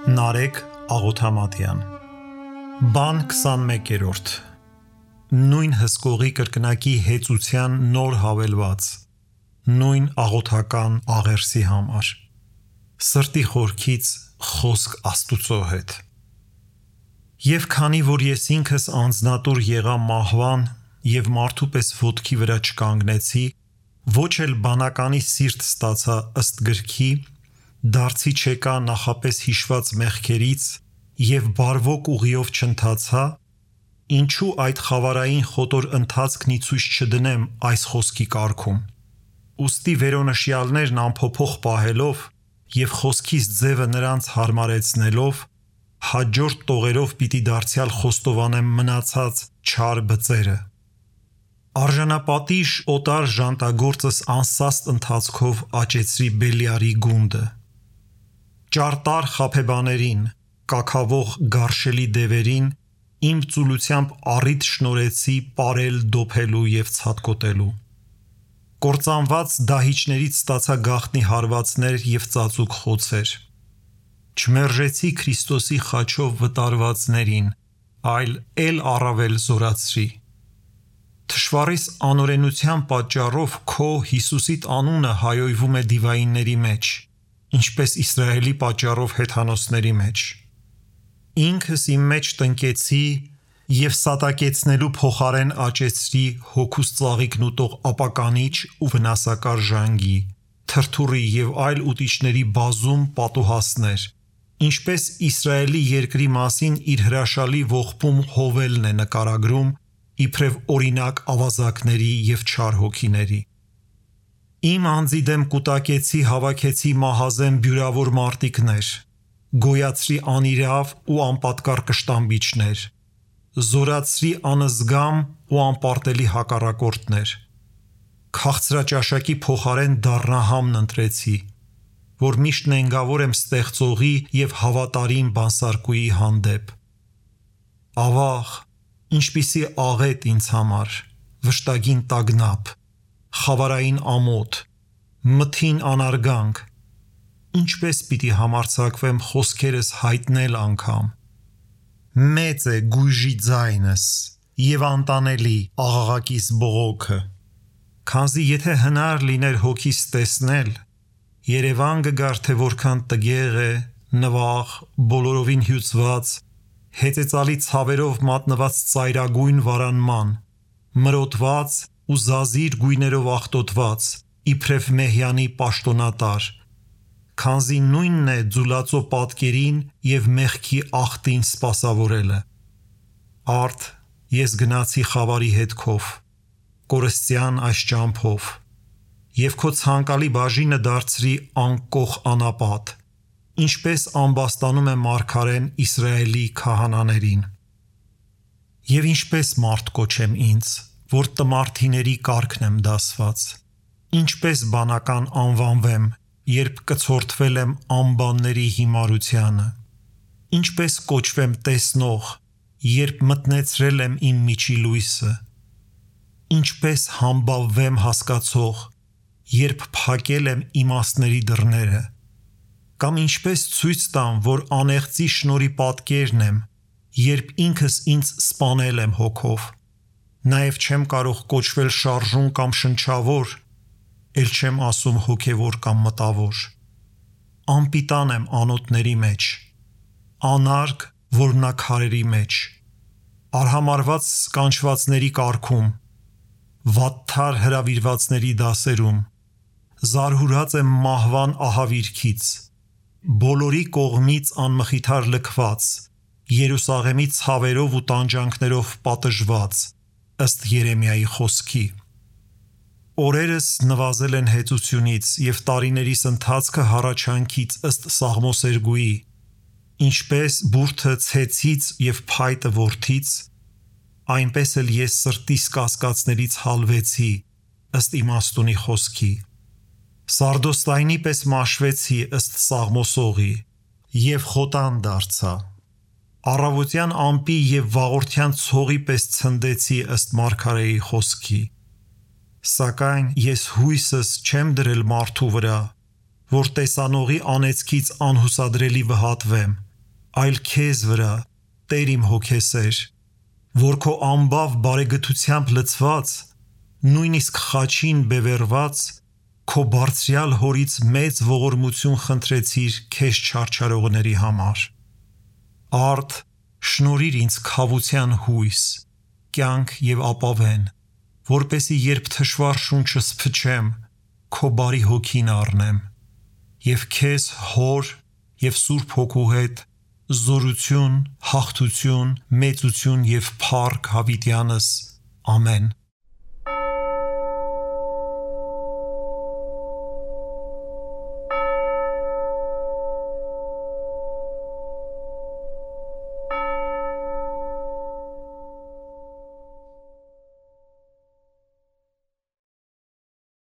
Նարեկ Աղոթամատյան Բան 21-րդ Նույն հսկողի կրկնակի հեծության նոր հավելված Նույն աղոթական աղերսի համար Սրտի խորքից խոսք Աստուծո հետ Եվ քանի որ ես ինքս անձնատուր եղա մահվան և մարդու պես ոտքի վրա չկանգնեցի ոչ էլ բանականի սիրտ ստացա ըստ գրքի դարձի չեկա նախապես հիշված մեղքերից և բարվոք ուղիով չընթացա, ինչու այդ խավարային խոտոր ընթացքն ի ցույց չդնեմ այս խոսքի կարգում։ Ուստի վերոնշյալներն անփոփոխ պահելով և խոսքիս ձևը նրանց հարմարեցնելով, հաջորդ տողերով պիտի դարձյալ խոստովանեմ մնացած չար բծերը։ Արժանապատիժ օտար ժանտագործս անսաստ ընթացքով աճեցրի Բելիարի գունդը։ Ճարտար խաբեբաներին, կաքավող գարշելի դևերին իմ ծուլությամբ առիթ շնորհեցի պարել դոփելու և ցատկոտելու։ Կործանված դահիճներից ստացա գաղտնի հարվածներ և ծածուկ խոցեր։ Չմերժեցի Քրիստոսի խաչով վտարվածներին, այլ էլ առավել զորացրի։ Թշվառիս անօրենության պատճառով քո Հիսուսիդ անունը հայոյվում է դիվայինների մեջ, ինչպես Իսրայելի պատճառով հեթանոսների մեջ։ Ինքս իմ մեջ տնկեցի և սատակեցնելու փոխարեն աճեցրի հոգուս ծաղիկն ուտող ապականիչ ու վնասակար ժանգի, թրթուրի և այլ ուտիչների բազում պատուհասներ, ինչպես Իսրայելի երկրի մասին իր հրաշալի ողբում Հովելն է նկարագրում իբրև օրինակ ավազակների և չար հոգիների։ Իմ անձի դեմ կուտակեցի հավաքեցի մահազեն բյուրավոր մարտիկներ, գոյացրի անիրավ ու անպատկառ կշտամբիչներ, զորացրի անզգամ ու անպարտելի հակառակորդներ, քաղցրաճաշակի փոխարեն դառնահամն ընտրեցի, որ միշտ նենգավոր եմ ստեղծողի և հավատարիմ բանսարկուի հանդեպ։ Ավաղ, ինչպիսի աղետ ինձ համար, վշտագին տագնապ, խավարային ամոթ, մթին անարգանք, ինչպես պիտի համարձակվեմ խոսքերս հայտնել անգամ։ Մեծ է գույժի ձայնս և անտանելի աղաղակիս բողոքը, քանզի եթե հնար լիներ հոգիս տեսնել, երևան կգար թե որքան տգեղ է, նվաղ, բոլորովին հյուծված, հեծեծալի ցավերով մատնված ծայրագույն վարանման, մրոտված ու զազիր գույներով աղտոտված, իբրև Մեհյանի պաշտոնատար, քանզի նույնն է ձուլածո պատկերին և մեղքի աղտին սպասավորելը։ Արդ ես գնացի խավարի հետքով, կորստյան այս ճամփով, և քո ցանկալի բաժինը դարձրի անկոխ անապատ, ինչպես ամբաստանում է մարգարեն Իսրայելի քահանաներին։ Եվ ինչպես մարդ կոչեմ ինձ, որ տմարդիների կարգն եմ դասված, ինչպես բանական անվանվեմ, երբ կցորդվել եմ անբանների հիմարությանը, ինչպես կոչվեմ տեսնող, երբ մտնեցրել եմ իմ միջի լույսը, ինչպես համբավվեմ հասկացող, երբ փակել եմ իմաստների դռները, կամ ինչպես ցույց տամ, որ անեղծի շնորհի պատկերն եմ, երբ ինքս ինձ սպանել եմ հոգով, նաև չեմ կարող կոչվել շարժուն կամ շնչավոր, էլ չեմ ասում հոգևոր կամ մտավոր։ Անպիտան եմ անոթների մեջ, անարգ որմնաքարերի մեջ, արհամարհված կանչվածների կարգում, վատթար հրավիրվածների դասերում, զարհուրած եմ մահվան ահավիրքից, բոլորի կողմից անմխիթար լքված, Երուսաղեմի ցավերով ու տանջանքներով պատժված, ըստ Երեմիայի խոսքի։ Օրերս նվազել են հեծությունից և տարիներիս ընթացքը հառաչանքից ըստ Սաղմոսերգուի, ինչպես բուրդը ցեցից և փայտը որդից, այնպես էլ ես սրտիս կասկածներից հալվեցի, ըստ իմաստունի խոսքի։ Սարդոստայնի պես մաշվեցի ըստ Սաղմոսողի և խոտան դարձա։ Առավոտյան ամպի և վաղորդյան ցողի պես ցնդեցի ըստ մարգարեի խոսքի։ Սակայն ես հույսս չեմ դրել մարդու վրա, որ տեսանողի անեծքից անհուսադրելի վհատվեմ, այլ քեզ վրա, Տեր իմ հոգեսեր, որ քո ամբավ բարեգթությամբ լցված, նույնիսկ խաչին բևեռված, քո բարձրյալ հորից մեծ ողորմություն խնդրեցիր քեզ չարչարողների համար։ Արդ շնորհիր ինձ քավության հույս, կյանք եւ ապավեն, որպեսզի երբ թշվառ շունչս փչեմ, քո բարի հոգին առնեմ, եւ քեզ Հոր եւ Սուրբ Հոգու հետ զորություն, հաղթություն, մեծություն եւ փառք հավիտյանս։ Ամեն։